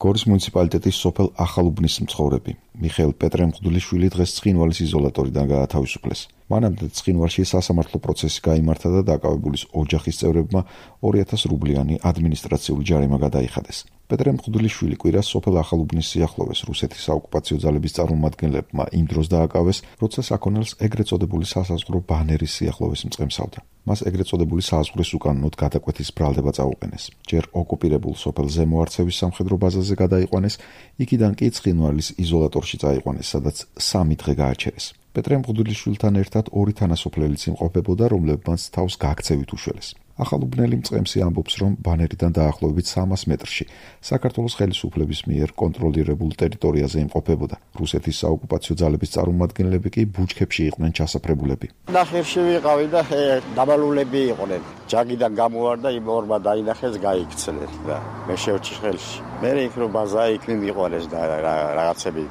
გორის მუნიციპალიტეტის სოფელ ახალუბნის მცხოვრები მიხეილ პეტრემყდულიშვილი დღეს ცხინვალის იზოლატორიდან გაათავისუფლეს. მანამდე ცხინვალში სასამართლო პროცესი გაიმართა და დაკავებულის ოჯახის წევრებმა 2000 რუბლიანი ადმინისტრაციული ჯარიმა გადაიხადეს. პეტრემყდულიშვილი კვირას სოფელ ახალუბნის სიახლოვეს რუსეთის საოკუპაციო ძალების წარმომადგენლებმა იმ დროს დააკავეს, როცა საქონელს ეგრეთ წოდებული სასაზღვრო ბანერის სიახლოვეს მწყემსავდა. მას ეგრეთ წოდებული საზღვრის უკანონოდ გადაკვეთის ბრალდება წაუყენეს. ჯერ ოკუპირებულ სოფელ ზემო არცევის სამხედრო ბაზაზე გადაიყვანეს, იქიდან კი ცხინვალის იზოლატორში წაიყვანეს, სადაც 3 დღე გააჩერეს. პეტრემყდულიშვილთან ერთად 2 თანასოფლელიც იმყოფებოდა, რომლებმაც თავს გაქცევით უშველეს. ახალუბნელი მწყემსი ამბობს, რომ ბანერიდან დაახლოებით 300 მეტრში საქართველოს ხელისუფლების მიერ კონტროლირებულ ტერიტორიაზე იმყოფებოდა. რუსეთის საოკუპაციო ძალების წარმომადგენლები კი ბუჩქებში იყვნენ ჩასაფრებულები. ნახევში ვიყავი და დაბალულები იყვნენ. ჯაგიდან გამოვარდა, იმ ორმა დაინახეს, გაიქცნენ და მე შევჭი ხელში. მე იქ რო ბაზა იქ მიყვანეს და რაღაცები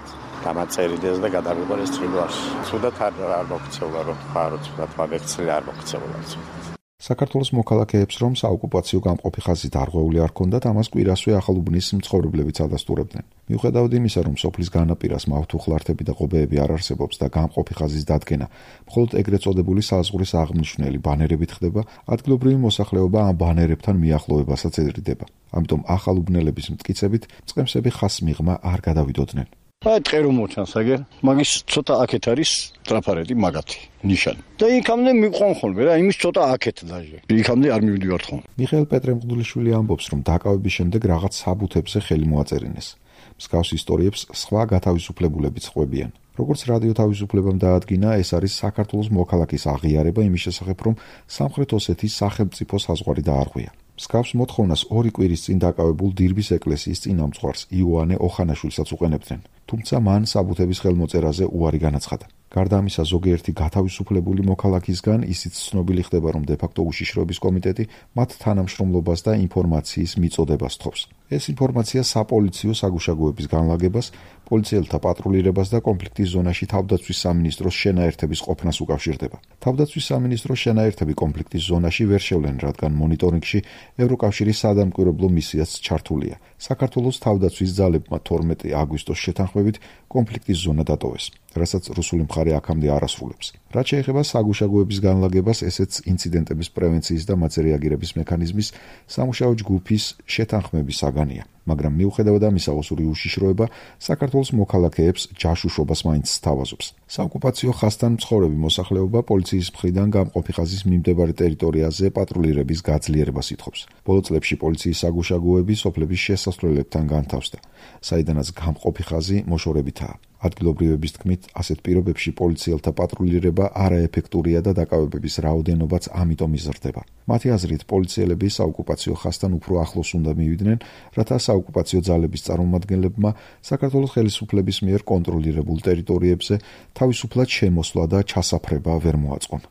დამაწერიდეს და გადავიყვანეს ცხინვალში. ცუდად არ მოგცეულა, რომ ხარო ცუდად მაგექცელი არ მოგცეულა. საქართველოს მოქალაქეებს, რომ საოკუპაციო გამყოფი ხაზი დარღვეული არ ჰქონდათ, ამას კვირასვე ახალუბნის მცხოვრებლებიც ადასტურებდნენ. მიუხედავად იმისა, რომ სოფლის განაპირას მავთუხლართები და ღობეები არ არსებობს და გამყოფი ხაზის დადგენა მხოლოდ ეგრეთ წოდებული საზღვრის აღმნიშვნელი ბანერებით ხდება, ადგილობრივი მოსახლეობა ამ ბანერებთან მიახლოებასაც ედრიდება. ამიტომ ახალუბნელების მტკიცებით მწყემსები ხაზს მიღმა არ გადავიდოდნენ. ტყერო მოჩანს აგერ, მაგის ცოტა აქეთ არის ტრაფარეტი მაგათი ნიშანი. და იქამდე მიყვან ხოლმე რა, იმის ცოტა აქეთ დაჟე. იქამდე არ მივიდივართ ხოლმე. მიხეილ პეტრემყდულიშვილი ამბობს, რომ დაკავების შემდეგ რაღაც საბუთებზე ხელი მოაწერინეს. მსგავს ისტორიებს სხვა გათავისუფლებულებიც ყვებიან. როგორც რადიო თავისუფლებამ დაადგინა, ეს არის საქართველოს მოქალაქის აღიარება იმის შესახებ, რომ სამხრეთ ოსეთის სახელმწიფო საზღვარი დაარღვია. მსგავს მოთხოვნას 2 კვირის წინ დაკავებულ დირბის ეკლესიის წინამძღვარს იოანე ოხანაშვილსაც უყენებდნენ, თუმცა მან საბუთების ხელმოწერაზე უარი განაცხადა. გარდა ამისა, ზოგიერთი გათავისუფლებული მოქალაქისგან ისიც ცნობილი ხდება, რომ დე-ფაქტო უშიშროების კომიტეტი მათ თანამშრომლობას და ინფორმაციის მიწოდებას თხოვს. ეს ინფორმაცია საპოლიციო საგუშაგოების განლაგებას, პოლიციელთა პატრულირებას და კონფლიქტის ზონაში თავდაცვის სამინისტროს შენაერთების ყოფნას უკავშირდება. თავდაცვის სამინისტროს შენაერთები კონფლიქტის ზონაში ვერ შევლენ, რადგან მონიტორინგში ევროკავშირის სადამკვირვებლო მისიაც ჩართულია. საქართველოს თავდაცვის ძალებმა 12 აგვისტოს შეთანხმებით კონფლიქტის ზონა დატოვეს, რასაც რუსული მხარე აქამდე არ ასრულებს. რაც შეეხება საგუშაგოების განლაგებას, ესეც ინციდენტების პრევენციის და მათზე რეაგირების მექანიზმის სამუშაო ჯგუფის შეთანხმების საგანია. მაგრამ მიუხედავად ამისა, ოსური უშიშროება საქართველოს მოქალაქეებს ჯაშუშობას მაინც სთავაზობს. საოკუპაციო ხაზთან მცხოვრები მოსახლეობა პოლიციის მხრიდან გამყოფი ხაზის მიმდებარე ტერიტორიაზე პატრულირების გაძლიერებას ითხოვს. ბოლო წლებში პოლიციის საგუშაგოები სოფლების შესასვლელებთან განთავსდა, საიდანაც გამყოფი ხაზი მოშორებითაა. ადგილობრივების თქმით, ასეთ პირობებში პოლიციელთა პატრულირება არაეფექტურია და დაკავებების რაოდენობაც ამიტომ იზრდება. მათი აზრით, პოლიციელები საოკუპაციო ხაზთან უფრო ახლოს უნდა მივიდნენ, რათა საოკუპაციო ძალების წარმომადგენლებმა საქართველოს ხელისუფლების მიერ კონტროლირებულ ტერიტორიებზე თავისუფლად შემოსვლა და ჩასაფრება ვერ მოაწყონ.